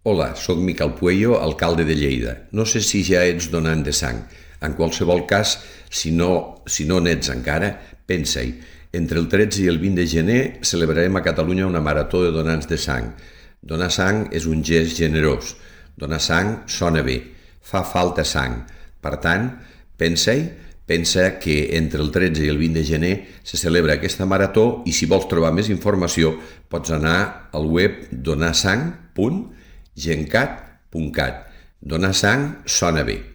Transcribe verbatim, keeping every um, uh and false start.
Hola, sóc Miquel Puello, alcalde de Lleida. No sé si ja ets donant de sang. En qualsevol cas, si no, si no n'ets encara, pensa-hi. Entre el tretze i el vint de gener celebrarem a Catalunya una marató de donants de sang. Donar sang és un gest generós. Donar sang sona bé. Fa falta sang. Per tant, pensa-hi, pensa que entre el tretze i el vint de gener se celebra aquesta marató i si vols trobar més informació pots anar al web donar sang punt gencat punt cat. Donar sang sona bé.